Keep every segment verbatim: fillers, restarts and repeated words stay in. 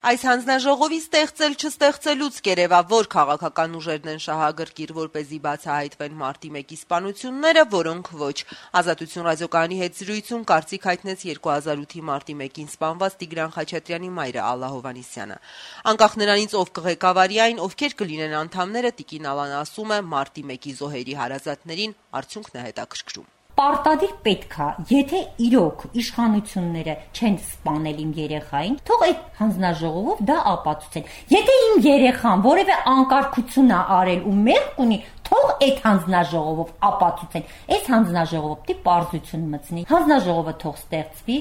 Այս հանձնաժողովի ստեղծել չստեղծելուց կերևա որ քաղաքական ուժերն են շահագրգիռ, որպեսզի բացահայտվեն մարտի մեկի սպանությունները, որոնք ոչ։ Ազատություն ռադիոկայանի հետ զրույցում կարծիք հայտնեց երկու հազար ութի մարտի մեկին սպանված Տիգրան Խաչատրյանի մայրը Ալլա Հովհաննիսյանը։ Անկախ նրանից ով կղեկավարի այն, ովքեր կլինեն անդամները, Տիկին Ալան ասում է, մարտի մեկի զոհերի հարազատներին արդյունքն է հետաքրքրում։ Պարտադիր պետք է, եթե իրոք իշխանությունները չեն սպանել իմ երեխային, թող այդ հանձնաժողովով դա ապացուցեն։ Եթե իմ երեխան որևէ անկարգություն է արել ու մեղք ունի, թող այդ հանձնաժողովով ապացուցեն։ Այս հանձնաժողովը պիտի պարզություն մտցնի։ Հանձնաժողովը թող ստեղծվի։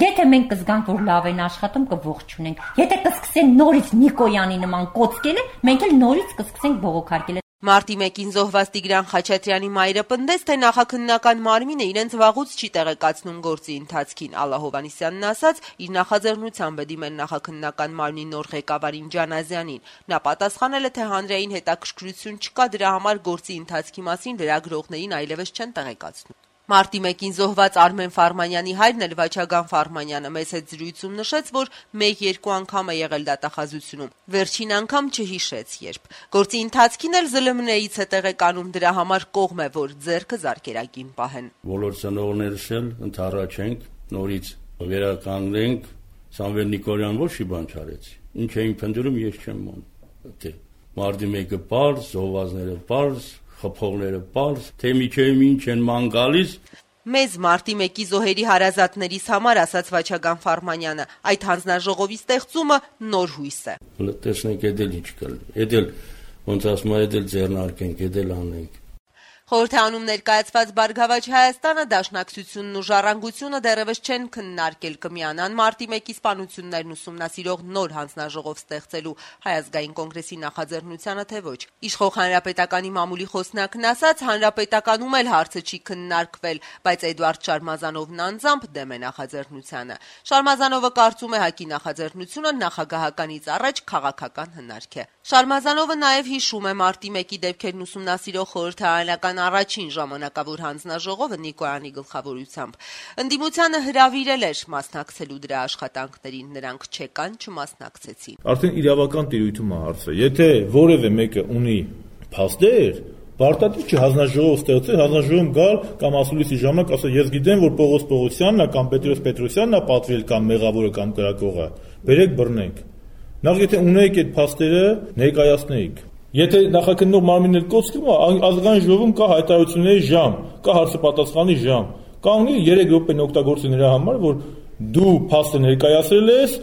Եթե մենք կզգանք, որ լավ են աշխատում, կողջունենք։ Եթե կսկսեն նորից Նիկոյանի նման կոծկել, մենք էլ նորից կսկսենք բողոքարկել։ Մարտի մեկին զոհված Տիգրան Խաչատրյանի մայրը պնդեց, թե նախաքննական մարմինը իրենց վաղուց չի տեղեկացնում գործի ընթացքին։ Ալլա Հովհաննիսյանն ասաց, իր նախաձեռնությամբ է դիմել նախաքննական մարմնի նոր ղեկավարին Ջանազյանին։ Նա պատասխանել է, թե հանրային հետաքրքրություն չկա, դրա համար գործի ընթացքի մասին լրագրողներին այլևս չեն տեղեկացնում։ Մարտի մեկին զոհված Արմեն Ֆարմանյանի հայրն էլ Վաչագան Ֆարմանյանը մեծ հետ զրույցում նշեց, որ մեկ-երկու անգամ է եղել դատախազությունում։ Վերջին անգամ չհիշեց երբ։ Գործի ընթացքին էլ ԶԼՄՆ-ից է տեղեկանում, դրա համար կողմ է, որ ձեռքը զարկերակին պահեն։ Բոլոր ծնողներս էլ ընդառաջենք, նորից վերականգնենք, Սամվել Նիկոլյան ոչ մի բան չարեց։ Ինչ էին փնտրում, ես չեմ մոռանում։ Մարտի մեկը պարզ, զոհվածները պարզ, խփողները պարզ, թե միջև ինչ են ման գալիս։ Մեզ մարտի մեկի զոհերի հարազատներիս համար, ասաց Վաչագան Ֆարմանյանը, այդ հանձնաժողովի ստեղծումը նոր հույս է։ Տեսնենք էդ էլ ինչ կա։ Էդ էլ ոնց ասում է, էդ էլ ձեռնարկենք, էդ էլ անենք։ Խորհրդանում ներկայացված Բարգավաճ Հայաստանը, Դաշնակցությունն ու Ժառանգությունը դեռևս չեն քննարկել կմիանան մարտի մեկի սպանություններն ուսումնասիրող նոր հանձնաժողով ստեղծելու Հայ ազգային կոնգրեսի նախաձեռնությանը, թե ոչ։ Իշխող Հանրապետականի մամուլի խոսնակն ասաց, Հանրապետականում էլ հարցը չի քննարկվել, բայց Էդուարդ Շարմազանովն անձամբ դեմ է նախաձեռնությանը։ Շարմազանովը կարծում է, ՀԱԿ-ի նախաձեռնությունը նախագահականից առաջ քաղաքական հնարք է։ Շարմազանովը նաև հիշում է մարտի մեկի դեպքերն ուսումնասիրող խորհրդարանական առաջին ժամանակավոր հանձնաժողովը Նիկոյանի գլխավորությամբ ընդդիմությանը հրավիրել էր մասնակցելու դրա աշխատանքներին, նրանք չեկան, չմասնակցեցին։ Արդեն իրավական տիրույթում է հարցը։ Եթե որևէ մեկը ունի փաստեր, պարտադիր չի հանձնաժողով ստեղծել, հանձնաժողովում գալ կամ ասուլիսի ժամանակ ասել, ես գիտեմ, որ Պողոս Պողոսյանն է կամ Պետրոս Պետրոսյանն է պատվիրել կամ մեղավորը կամ կրակողը, բերեք բռնենք։ Նախ եթե ունեիք այդ փաստերը, ներկայացնեիք։ Եթե նախաքննող մարմինն էլ կոչվում է, ազգային ժողովում կա հայտարարությունների ժամ, կա հարցը պատասխանի ժամ։ Կանգնի երեք րոպեն օգտագործի նրա համար, որ դու փաստը ներկայացրել ես,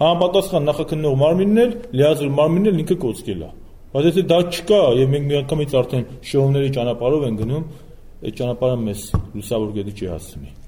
համապատասխան նախաքննող մարմինն էլ, լիազոր մարմինն էլ ինքը կոչկել է։ Բայց եթե դա չկա եւ մենք միանգամից արդեն շոուների ճանապարհով են գնում, այդ ճանապարհը մեզ լուսավոր գետի չի հասցնի։